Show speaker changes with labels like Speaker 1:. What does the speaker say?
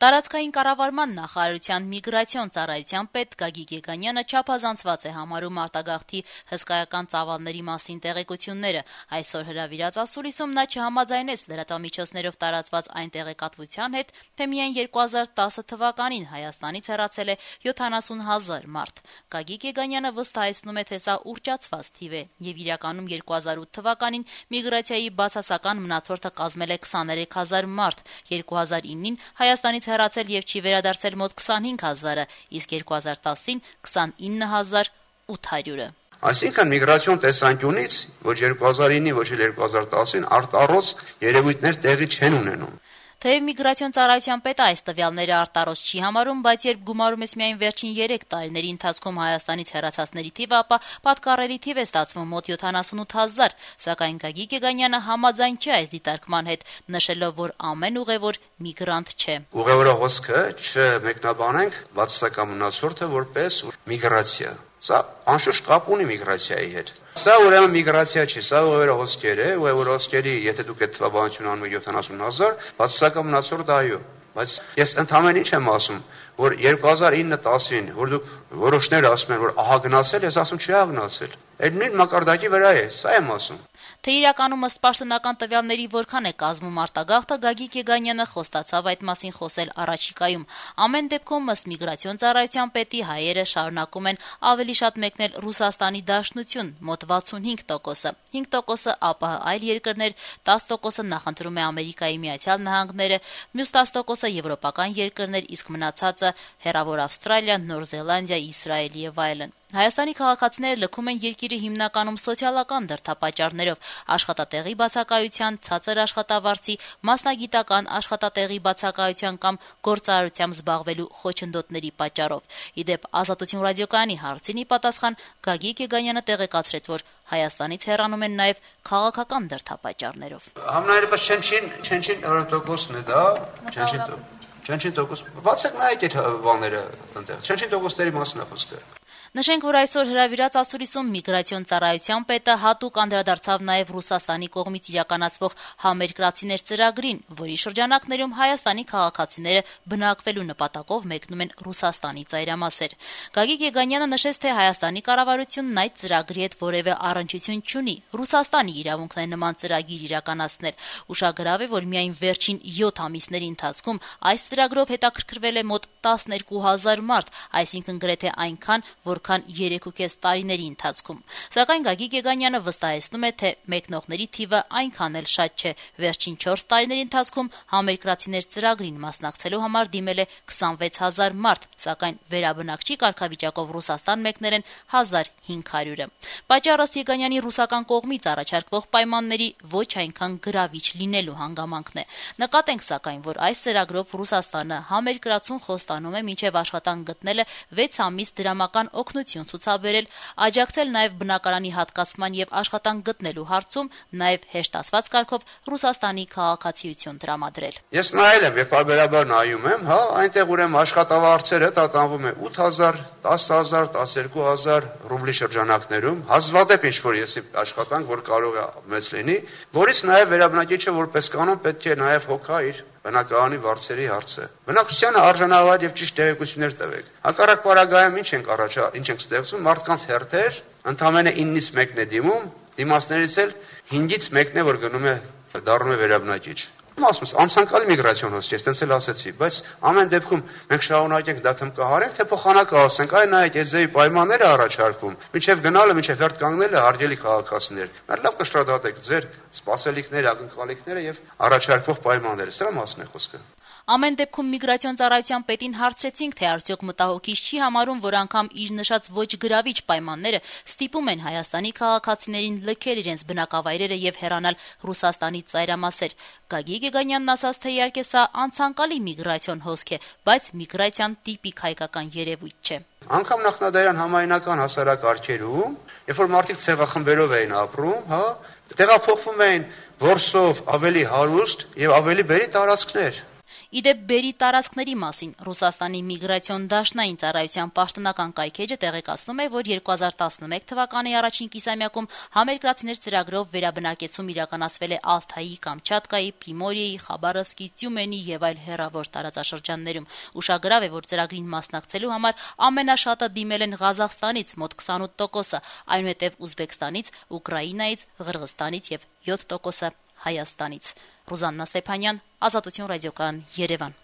Speaker 1: Տարածքային կառավարման նախարարության միգրացիոն ծառայության պետ Գագիկ Եգանյանը չափազանցված է համարում արտագաղթի հսկայական ծավալների մասին տեղեկությունները։ Այսօր հրավիրած ասուլիսում նա չհամաձայնեց լրատվամիջոցներով տարածված այն տեղեկատվության հետ, թե միայն 2010 թվականին Հայաստանից հեռացել է 70,000 մարդ։ Գագիկ Եգանյանը վստահեցնում է, թե սա ուռճացված թիվ է, եւ իրականում 2008 թվականին միգրացիայի բացասական մնացորդը կազմել է 23,000 մարդ, 2009-ին Հայաստանից հեռացել եւ չի վերադարձել մոտ 25,000-ը, իսկ 2010-ին 29,800-ը։
Speaker 2: Այսինքն միգրացիոն տեսանկյունից ոչ 2009-ին, ոչ էլ 2010-ին արտառոց երևույթներ տեղի չեն ունենում։
Speaker 1: Թեև միգրացիոն ծառայության պետը այս տվյալները արտառոց չի համարում, բայց երբ գումարում ես միայն վերջին 3 տարիների ընթացքում Հայաստանից հեռացածների թիվը, ապա պատկառելի թիվ է ստացվում մոտ 78,000, սակայն Գագիկ Եգանյանը համաձայն չէ այս դիտարկման հետ, նշելով, որ ամեն ուղևոր միգրանտ չէ։
Speaker 2: Ուղևորահոսքը չմեկնաբանենք բացասական մնացորդը որպես միգրացիա։ Սա անշուշտ կապ ունի միգրացիայի հետ։ Սա ուրեմն միգրացիա չի, սա ուղևորահոսքեր է, ուղևորահոսքերի, եթե դուք այդ թվաբանությունը անում եք 70,000, բացասական մնացորդ այո։ Բայց ես ընդհանրապես ինչ եմ ասում, որ 2009-10-ին, որ դուք որոշները ասում են, որ ահա գնացել, ես ասում չի ահա գնացել։ Այդ նույն մակարդակի վրա է, սա եմ ասում։
Speaker 1: Թե իրականում ըստ պաշտոնական տվյալների որքան է կազմում արտագաղթը, Գագիկ Եգանյանը խոստացավ այդ մասին խոսել առաջիկայում։ Ամեն դեպքում ըստ միգրացիոն ծառայության պետի հայերը շարունակում են ավելի շատ մեկնել Ռուսաստանի Դաշնություն, մոտ 65%-ը, 5%-ը ԱՊՀ այլ երկրներ, 10%-ը նախընտրում է Ամերիկայի Միացյալ Նահանգները, մյուս 10%-ը եվրոպական երկրներ, իսկ մնացածը հեռավոր Ավստրալիա, Նոր Զելանդիա, Իսրայել եւ այլն։ Հայաստանի քաղաքացիները լքում են երկիրը հիմնականում սոցիալական դրդապատճառներով, աշխատատեղի բացակայության, ցածր աշխատավարձի, մասնագիտական աշխատատեղի բացակայության կամ գործարարությամբ զբաղվելու խոչընդոտների պատճառով։ Իդեպ Ազատություն ռադիոկայանի հարցին ի պատասխան Գագիկ Եգանյանը տեղեկացրեց, որ Հայաստանից հեռանում են նաև քաղաքական դրդապատճառներով։
Speaker 2: Համնայերպես չնչին տոկոսն է դա, չնչին տոկոս։ Բացեք նայեք այդ բաները այնտեղ։ Չնչին տոկոսների մասին է խոսքը։
Speaker 1: Նշենք, որ այսօր հրավիրած ասուլիսում միգրացիոն ծառայության պետը հատուկ անդրադարձավ նաև Ռուսաստանի կողմից իրականացվող համերկրացիներ ծրագրին, որի շրջանակներում Հայաստանի քաղաքացիները բնակվելու նպատակով մեկնում են Ռուսաստանի ծայրամասեր։ Գագիկ Եգանյանը նշեց, թե Հայաստանի կառավարությունն այդ ծրագրի հետ որևէ առնչություն չունի։ Ռուսաստանի իրավունքն է նման ծրագիր իրականացնել։ Ուշագրավ է, որ միայն վերջին 7 ամիսների ընթացքում այս ծրագրով հետաքրքրվել է մոտ 12,000 մարդ, այսինքն գրեթե այնքան, որքան 3.5 տարիների ընթացքում։ Սակայն Գագիկ Եգանյանը վստահեցնում է, թե մեկնողների թիվը այնքան էլ շատ չէ։ Վերջին 4 տարիների ընթացքում համերկրացիներ ծրագրին մասնակցելու համար դիմել է 26,000 մարդ, սակայն վերաբնակչի կարգավիճակով Ռուսաստան մեկնել են 1,500-ը։ Պատճառը Եգանյանի ռուսական կողմից առաջարկվող պայմանների ոչ այնքան գրավիչ լինելու հանգամանքն է։ Նկատենք սակայն, որ այս ծրագրով Ռուսաստանը համերկրացուն խոստանում է մինչև աշխատանք գտնելը 6 ամիս դրամական օգնություն ցուցաբերել, աջակցել նաև բնակարանի հատկացման եւ աշխատանք գտնելու հարցում, նաև հեշտ ասված կարգով Ռուսաստանի քաղաքացիություն տրամադրել։
Speaker 2: Ես նայել եմ, երբ բարբերաբար նայում եմ, այնտեղ ուրեմն աշխատավարձերը տատանվում է 8,000, 10,000, 12,000 ռուբլի շրջանակներում, հազվադեպ ինչ-որ եսի աշխատանք, որ կարող է մեծ լինի, որից նաև վերաբնակիչը որպես կանոն պետք է նաև հոգա իր բնակարանի վարձերի հարցը։ Բնակչությանը արժանավար եւ ճիշտ տեղեկություններ տվեք։ Հակառակ պարագայում ինչ ենք ստեղծում, մարդկանց հերթեր, ընդամենը 9-ից 1-ն է դիմում, դիմացներից էլ 5-ից 1-ն է, որ գնում է դառնում է վերաբնակիչ։ Ասում եմ, անցանկալի միգրացիոն հոսք, ես տենց էլ ասեցի, բայց ամեն դեպքում մենք շարունակենք դա թմկահարենք, թե փոխանակը ասենք, այ նայեք, այս ձեւի պայմանները առաջարկվում, մինչև գնալը, մինչև հերթ կանգնելը հարգելի քաղաքացիներ։ Մեր լավ կշտադատեք ձեր սպասելիքները, ակնկալիքները եւ առաջարկվող պայմանները։ Սրա մասն է խոսքը։
Speaker 1: Ամեն դեպքում միգրացիոն ծառայության պետին հարցրեցինք, թե արդյոք մտահոգիչ չի համարում, որ անգամ իր նշած ոչ գրավիչ պայմանները ստիպում են Հայաստանի քաղաքացիներին լքել իրենց բնակավայրերը եւ հեռանալ Ռուսաստանի ծայրամասեր։ Գագիկ Եգանյանն ասաց, թե իհարկե սա անցանկալի միգրացիոն հոսք է, բայց միգրացիան տիպիկ հայկական երևույթ չէ։
Speaker 2: Անկամ նախնադարյան համայնական հասարակարգերում, երբ որ մարդիկ ցեղախմբերով էին ապրում, տեղափոխվում էին որսով ավելի հարուստ եւ ավելի բերի տարածքներ։
Speaker 1: Իդեպ բերի տարածքների մասին Ռուսաստանի միգրացիոն դաշնային ծառայության պաշտոնական կայքէջը տեղեկացնում է, որ 2011 թվականի առաջին կիսամյակում համերկրացիներ ծրագրով վերաբնակեցում իրականացվել է Ալթայի, Կամչատկայի, Պրիմորիեի, Խաբարովսկի, Տյումենի եւ այլ հեռավոր տարածաշրջաններում։ Ուշագրավ է, որ ծրագրին մասնակցելու համար ամենաշատը դիմել են Ղազախստանից մոտ 28%, այնուհետև Ուզբեկստանից, Ուկրաինայից, Ղրղստանից եւ 7% Հայաստանից։ Ռուզաննա Ստեփանյան, Ազատություն ռադիոկայան, Երևան։